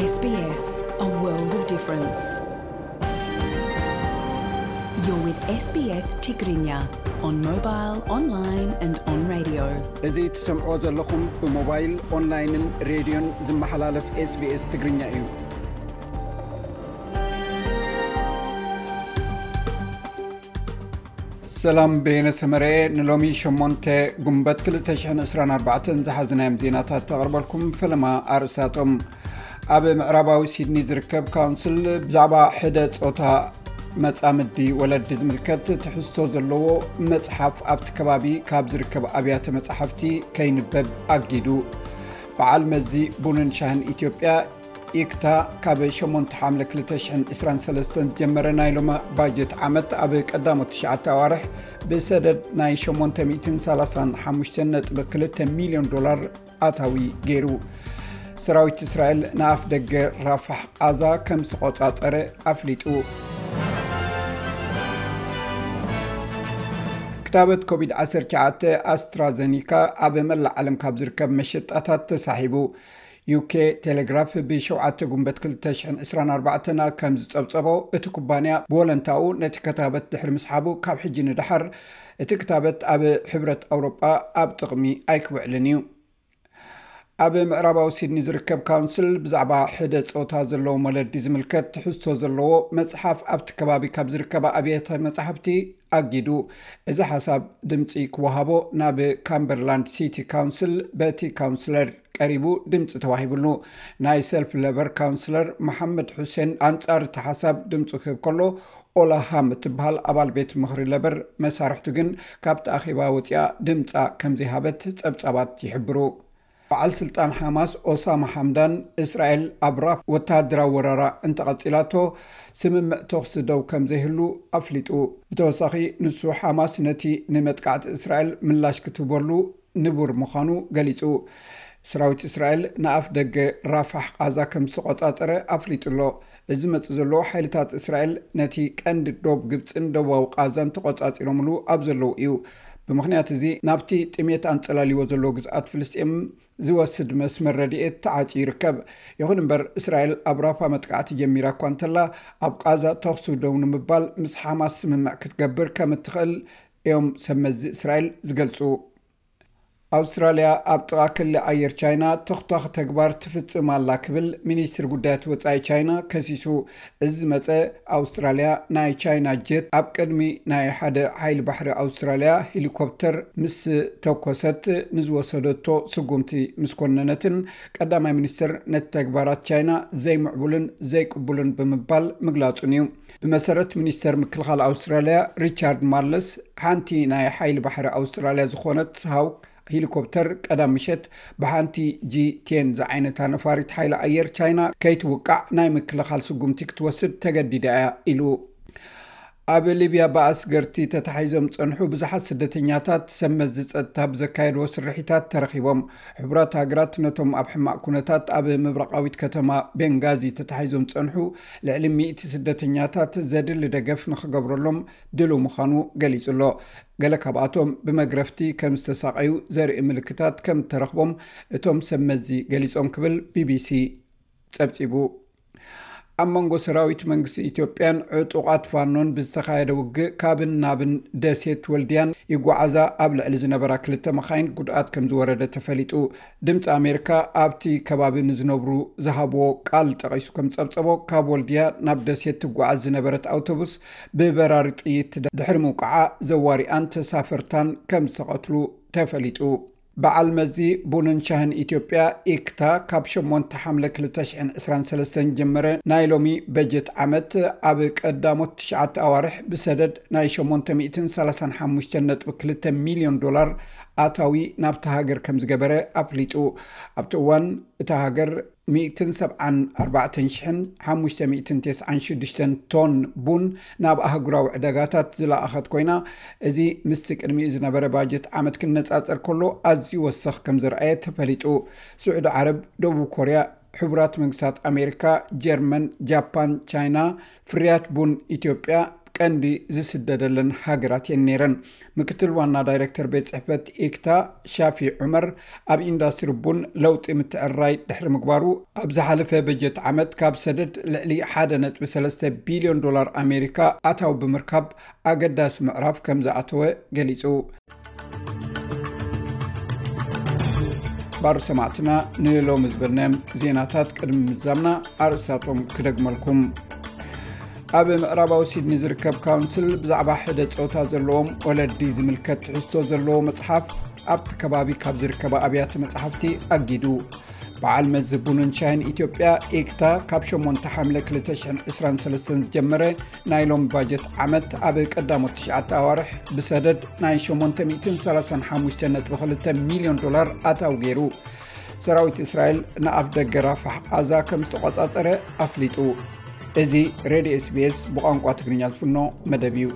S B S, a world of difference. You're with S B S Tigrinya on mobile, online and on radio. እዚ ትሰምዕዎ ዘለኹም ብሞባይል፣ ኦንላይንን ሬድዮን ዝመሓላለፍ S B S ትግርኛ እዩ። ሰላም፣ በየነ ሰመረ። ንሎሚ ሸሞንተ ጉንበት ክልተ ሽሕን ዕስራን ኣርባዕተን ዝሓዝናዮም ዜናታት ተቕርበልኩም። ፈለማ ኣርእስታቶም። ኣብ ምዕራባዊ ሲድኒ ዝርከብ ካውንስል ብዛዕባ ሕደ ጾታ መጻምዲ ወለዲ ዝምልከት ትሕዝቶ ዘለዎ መጽሓፍ ኣብቲ ከባቢ ካብ ዝርከብ ኣብያተ መጻሕፍቲ ከይንበብ ኣጊዱ። በዓል መዚ ቡንን ሻህን ኢትዮጵያ፣ ኢክታ፣ ካብ ሸሞንተ ሓምለ ክልተ ሽሕን ዕስራን ሰለስተን ዝጀመረ ናይ ሎሚ ባጀት ዓመት ኣብ ቀዳሞት ትሽዓተ ኣዋርሕ ብሰደድ ናይ ሸሞንተ ሚእትን ሰላሳን ሓሙሽተን ነጥቢ ክልተ ሚልዮን ዶላር ኣታዊ ገይሩ። ሰራዊት እስራኤል ንኣፍ ደገ ራፋሕ ቃዛ ከም ዝተቖጻጸረ ኣፍሊጡ። ክታበት ኮቪድ ዓሰርተ ትሽዓተ ኣስትራዘኒካ ኣብ መላእ ዓለም ካብ ዝርከብ መሸጣታት ተሳሒቡ። ዩ ኬ ቴሌግራፍ ብሸውዓተ ጉንበት ክልተ ሽሕን ዕስራን ኣርባዕተን ከም ዝጸብጸቦ፣ እቲ ኩባንያ ብወለንታኡ ነቲ ክታበት ድሕሪ ምስሓቡ፣ ካብ ሕጂ ንደሓር እቲ ክታበት ኣብ ሕብረት ኣውሮጳ ኣብ ጥቕሚ ኣይክውዕልን እዩ። ኣብ ምዕራባዊ ሲድኒ ዝርከብ ካውንስል ብዛዕባ ሕደ ጾታ ዘለዎም ወለዲ ዝምልከት ትሕዝቶ ዘለዎ መጽሓፍ ኣብቲ ከባቢ ካብ ዝርከባ ኣብያተ መጻሕፍቲ ኣጊዱ። እዚ ሓሳብ ድምጺ ክወሃቦ ናብ ካምበርላንድ ሲቲ ካውንስል በቲ ካውንስለር ቀሪቡ ድምጺ ተዋሂብሉ። ናይ ሰልፍ ለበር ካውንስለር መሓመድ ሑሴን ኣንጻር እቲ ሓሳብ ድምጹ ክህብ ከሎ፣ ኦላ ሃም እትበሃል ኣባል ቤት ምኽሪ ለበር መሳርሕቱ ግን ካብቲ ኣኼባ ወጺኣ ድምጻ ከም ዘይሃበት ጸብጻባት ይሕብሩ። በዓል ስልጣን ሓማስ ኦሳማ ሓምዳን፣ እስራኤል ኣብ ራፋ ወተሃደራዊ ወረራ እንተቐጺላቶ፣ ስምምዕ ተኹሲ ደው ከም ዘይህሉ ኣፍሊጡ። ብተወሳኺ፣ ንሱ ሓማስ ነቲ ንመጥቃዕቲ እስራኤል ምላሽ ክትህበሉ ንቡር ምዃኑ ገሊጹ። ሰራዊት እስራኤል ንኣፍ ደገ ራፋሕ ቃዛ ከም ዝተቖጻጸረ ኣፍሊጡ ኣሎ። እዚ ዝመጽእ ዘሎ፣ ሓይልታት እስራኤል ነቲ ቀንዲ ዶብ ግብጽን ደቡባዊ ቃዛን ተቖጻጺሮምሉ ኣብ ዘለዉ እዩ። ብምኽንያት እዚ፣ ናብቲ ጥሜት ኣንጸላልይዎ ዘሎ ግዝኣት ፍልስጤም ዝወስድ መስመር ረድኤት ተዓጽዩ ይርከብ። ይኹን እምበር፣ እስራኤል ኣብ ራፋ መጥቃዕቲ ጀሚራ እኳ እንተላ፣ ኣብ ቃዛ ተኹሲ ደው ንምባል ምስ ሓማስ ስምምዕ ክትገብር ከም እትኽእል እዮም ሰብ መዚ እስራኤል ዝገልጹ። ኣውስትራልያ ኣብ ጥቓ ክሊ ኣየር ቻይና ተኽቷኺ ተግባር ትፍጽም ኣላ ክብል ሚኒስትሪ ጉዳያት ወጻኢ ቻይና ከሲሱ። እዚ ዝመጸ፣ ኣውስትራልያ ናይ ቻይና ጀት ኣብ ቅድሚ ናይ ሓደ ሓይሊ ባሕሪ ኣውስትራልያ ሄሊኮፕተር ምስ ተኮሰት ንዝወሰደቶ ስጉምቲ ምስ ኮነነትን፣ ቀዳማይ ሚኒስትር ነቲ ተግባራት ቻይና ዘይምዕቡልን ዘይቅቡልን ብምባል ምግላጹን እዩ። ብመሰረት ሚኒስተር ምክልኻል ኣውስትራልያ ሪቻርድ ማርለስ፣ ሓንቲ ናይ ሓይሊ ባሕሪ ኣውስትራልያ ዝኾነት ሃውክ ሄሊኮፕተር ቀዳም ምሸት ብሓንቲ ጂ ቴን ዝዓይነታ ነፋሪት ሓይሊ ኣየር ቻይና ከይትውቃዕ ናይ ምክልኻል ስጉምቲ ክትወስድ ተገዲዳ እያ ኢሉ። ኣብ ሊብያ ብኣስገርቲ ተታሒዞም ዝጸንሑ ብዙሓት ስደተኛታት ሰብ መዚ ጸጥታ ብዘካየድዎ ስርሒታት ተረኺቦም። ሕቡራት ሃገራት ነቶም ኣብ ሕማቕ ኩነታት ኣብ ምብራቓዊት ከተማ ቤንጋዚ ተታሒዞም ዝጸንሑ ልዕሊ ሚእቲ ስደተኛታት ዘድሊ ደገፍ ንኽገብረሎም ድሉው ምዃኑ ገሊጹ ኣሎ። ገለ ካብኣቶም ብመግረፍቲ ከም ዝተሳቐዩ ዘርኢ ምልክታት ከም እተረኽቦም እቶም ሰብ መዚ ገሊጾም ክብል ቢ ቢ ሲ ጸብጺቡ። ኣብ መንጎ ሰራዊት መንግስቲ ኢትዮጵያን ዕጡቓት ፋኖን ብዝተኻየደ ውግእ፣ ካብን ናብን ደሴት ወልድያን ይጓዓዛ ኣብ ልዕሊ ዝነበራ ክልተ መኻይን ጉድኣት ከም ዝወረደ ተፈሊጡ። ድምፂ ኣሜሪካ ኣብቲ ከባቢ ንዝነብሩ ዝሃብዎ ቃል ጠቒሱ ከም ዝፀብፀቦ፣ ካብ ወልድያ ናብ ደሴት ትጓዓዝ ዝነበረት ኣውቶቡስ ብበራሪ ጥይት ድሕሪ ምውቃዓ፣ ዘዋሪኣን ተሳፈርታን ከም ዝተቐትሉ ተፈሊጡ። በዓል መዚ ቡንን ሻህን ኢትዮጵያ፣ ኢክታ፣ ካብ ሸሞንተ ሓምለ ክልተ ሽሕን ዕስራን ሰለስተን ጀመረ ናይ ሎሚ በጀት ዓመት ኣብ ቀዳሞት ትሽዓተ ኣዋርሕ ብሰደድ ናይ ሸሞንተ ሚእትን ሰላሳን ሓሙሽተን ነጥቢ ክልተ ሚልዮን ዶላር ኣታዊ ናብታ ሃገር ከም ዝገበረ ኣፍሊጡ። ኣብቲ እዋን እታ ሃገር ሚእትን ሰብዓን ኣርባዕተን ሽሕን ሓሙሽተ ሚእትን ተስዓን ሽዱሽተን ቶን ቡን ናብ ኣህጉራዊ ዕዳጋታት ዝለኣኸት ኮይና፣ እዚ ምስቲ ቅድሚኡ ዝነበረ ባጀት ዓመት ክነጻጸር ከሎ ኣዝዩ ወሰኽ ከም ዝረኣየ ተፈሊጡ። ስዑዲ ዓረብ፣ ደቡብ ኮርያ፣ ሕቡራት መንግስታት ኣሜሪካ፣ ጀርመን፣ ጃፓን፣ ቻይና ፍርያት ቡን ኢትዮጵያ ቀንዲ ዝስደደለን ሃገራት እየን ነይረን። ምክትል ዋና ዳይሬክተር ቤት ጽሕፈት ኢክታ ሻፊ ዑመር፣ ኣብ ኢንዱስትሪ ቡን ለውጢ ምትዕራይ ድሕሪ ምግባሩ፣ ኣብ ዝሓለፈ በጀት ዓመት ካብ ሰደድ ልዕሊ ሓደ ነጥቢ ሰለስተ ቢልዮን ዶላር ኣሜሪካ ኣታዊ ብምርካብ ኣገዳሲ ምዕራፍ ከም ዝኣተወ ገሊጹ። ባር ሰማዕትና፣ ንሎሚ ዝበልናዮም ዜናታት ቅድሚ ምዛምና ኣርእስታቶም ክደግመልኩም። ኣብ ምዕራባዊ ሲድኒ ዝርከብ ካውንስል ብዛዕባ ሕደ ጾታ ዘለዎም ወለዲ ዝምልከት ትሕዝቶ ዘለዎ መጽሓፍ ኣብቲ ከባቢ ካብ ዝርከባ ኣብያተ መጽሓፍቲ ኣጊዱ። በዓል መዚ ቡንን ሻሂን ኢትዮጵያ፣ ኢክታ፣ ካብ ሸሞንተ ሓምለ ክልተ ሽሕን ዕስራን ሰለስተን ዝጀመረ ናይ ሎም ባጀት ዓመት ኣብ ቀዳሞት ትሽዓተ ኣዋርሕ ብሰደድ ናይ ሸሞንተ ሚእትን ሰላሳን ሓሙሽተ ነጥቢ ክልተ ሚልዮን ዶላር ኣታዊ ገይሩ። ሰራዊት እስራኤል ንኣፍ ደገ ራፋሕ ቓዛ ከም ዝተቖጻጸረ ኣፍሊጡ። እዚ ሬድዮ ኤስቢኤስ ብቋንቋ ትግርኛ ዝፍኖ መደብ እዩ።